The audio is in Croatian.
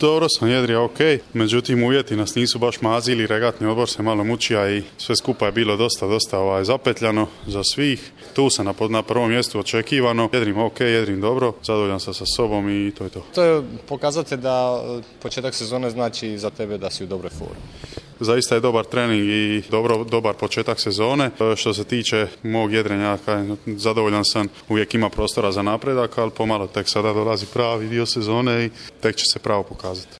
Dobro sam jedrio, ok, međutim uvjeti nas nisu baš mazili, regatni odbor se malo mučija i sve skupa je bilo dosta zapetljano za svih. Tu sam na prvom mjestu očekivano, jedrim ok, jedrim dobro, zadovoljan sam sa sobom i to je to. To je pokazatelj da početak sezone znači za tebe da si u dobroj formi. Zaista je dobar trening i dobar početak sezone. Što se tiče mog jedrenja, zadovoljan sam, uvijek ima prostora za napredak, ali pomalo tek sada dolazi pravi dio sezone i tek će se pravo pokazati.